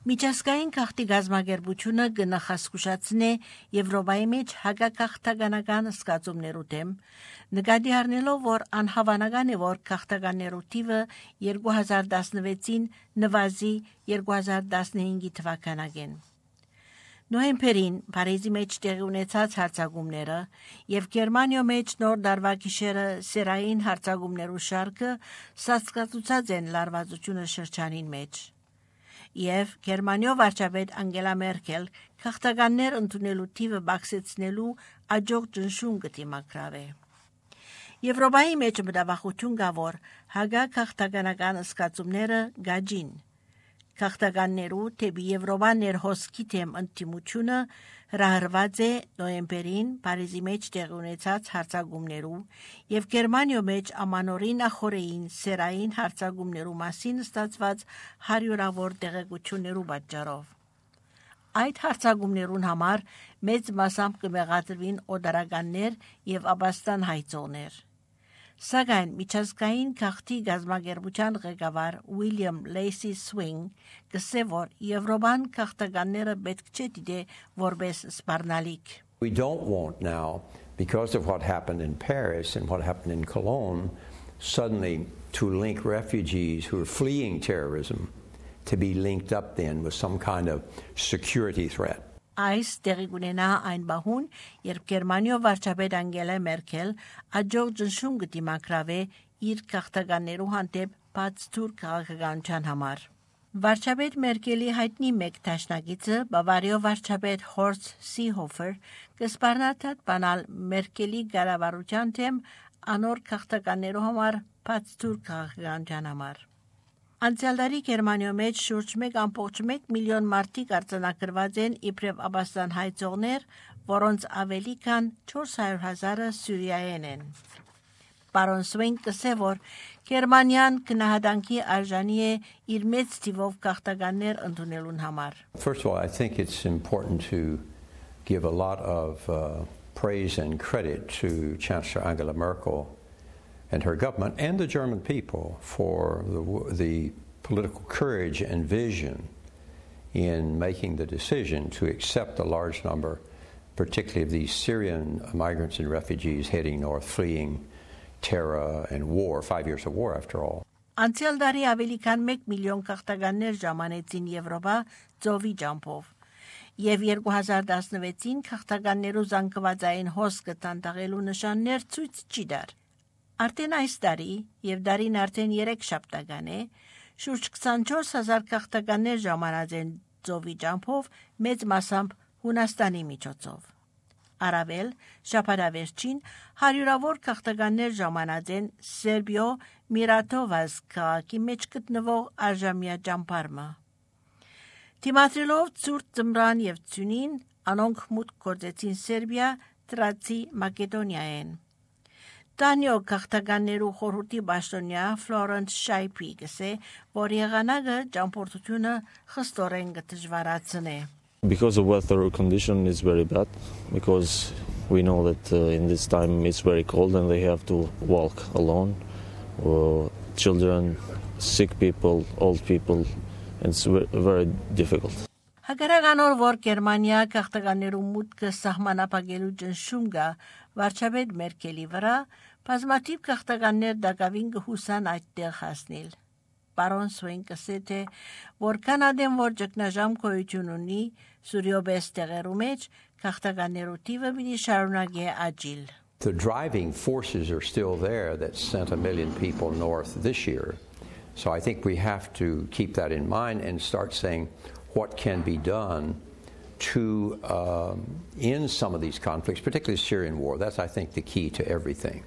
Միջազգային քաղաքի գազագերբությունը կնախազգուշացնե Եվրոպայի մեջ հակաքաղաքականական զգացումներու դեմ, նկատի առնելով, որ անհավանական է, որ քաղաքականներու թիվը 2016-ին նվազի 2015 թվականին։ Նոյեմբերին Փարիզի մեջ տեղի ունեցած հարձակումները եւ Գերմանիա մեջ նոր դարվա գիշերը սերային հարձակումներու շարքը սաստկացուցած են լարվածությունը շրջանին մեջ։ Եվ Գերմանիա վարչապետ Անգելա Մերկել քաղաքականներ ընդունելու թիվը բարձրացնելու աջող ճնշում կդիմակրավե։ Եվրոպայի մեջ մտավախություն կա, որ հակաքաղաքականական զգացումները գաջին։ Քաղաքականներու թեպի Եվրոպա ներհոսքի թեմ ընդդիմությունը հրահրված է նոյեմբերին Փարիզի մեջ տեղի ունեցած հարձակումներու եւ Գերմանիա մեջ ամանորին ախորեին սերային հարձակումներու մասին ստացված հարյուրավոր տեղեկություններու պատճառով։ Այդ հարձակումներուն համար մեծ մասամբ կմեղադրվին օդարականներ եւ ապաստան հայցողներ։ Սակայն միջազգային քաղաքի գազագերբության ղեկավար Ուիլյամ Լեյսի Սվինգ կսե, որ Եվրոպան քաղաքականները պետք չէ դիտե որպես սպառնալիք։ We don't want now, because of what happened in Paris and what happened in Cologne, suddenly to link refugees who are fleeing terrorism to be linked up then with some kind of security threat. Այս տեղի կունենա այն բահուն, երբ Գերմանիա վարչապետ Անգելա Մերկել աջող ճնշում կդիմակրավե իր քաղաքականներու հանդեպ բաց թուր քաղաքականության համար։ Վարչապետ Մերկելի հայտնի մեկ դաշնակիցը Բավարիա վարչապետ Հորստ Սիհոֆեր կսպառնաթաթ բանալ Մերկելի կառավարության թեմ անոր քաղաքականներու համար բաց թուր քաղաքականության համար։ Անցյալ տարի Գերմանիա մեջ շուրջ 1.1 միլիոն մարդիկ արձանագրված են իբրև ապաստան հայցողներ, որոնց ավելի քան 400,000-ը Սյուրիայեն են։ Պարոն Սվինգ կսե, որ Գերմանիան քնահատանքի արժանի է իր մեծ թիվով քաղաքականներ ընդունելուն համար։ First of all, I think it's important to give a lot of praise and credit to Chancellor Angela Merkel and her government and the German people for the political courage and vision in making the decision to accept a large number, particularly of these Syrian migrants and refugees heading north, fleeing terror and war, 5 years of war after all. Անցյալ տարի ավելի քան 1 միլիոն քաղաքականներ ժամանեցին Եվրոպա ծովի ջամփով, եւ 2016-ին քաղաքականներու զանգվածային հոսքը տանտաղելու նշաններ ցույց չի դար։ Արդեն այս տարի եւ դարին արդեն 3 շաբթական է, շուրջ 24,000 քաղաքականներ ժամանած են ծովի ջամփով, մեծ մասամբ Հունաստանի միջոցով։ Արավել շաբաթավերջին հարյուրավոր քաղաքականներ ժամանած են Սերբիո Միրատովազ քաղաքի մեջ գտնվող արժամյա ջամփարմը։ Թիմադրելով ցուրտ ծմրան եւ ցյունին, անոնք մուտք գործեցին Սերբիա, Տրացի, Մակեդոնիայեն։ Տանյո քաղաքականներու խորհրդի պաշտոնյա Ֆլորենս Շայփի գսե, որ եղանակը ճամփորդությունը խստորեն կդժվարացնե։ Because the weather condition is very bad, because we know that in this time it's very cold and they have to walk alone, children, sick people, old people, and it's very difficult. Հակառականոր որ Գերմանիա քաղաքականներու մուտքը սահմանապահելու ճնշում կա վարչապետ Մերկելի վրա, բազմաթիվ քաղաքականներ դակավին կհուսան այդտեղ հասնել։ Պարոն Սվինգ կսե թե որքան ադեմ որ ճգնաժամ գոյություն ունի Սուրիոբես տեղերու մեջ, քաղաքականներու թիվը պիտի շարունակի աճիլ։ The driving forces are still there that sent 1 million people north this year. So I think we have to keep that in mind and start saying what can be done to end some of these conflicts, particularly the Syrian war. That's, I think, the key to everything.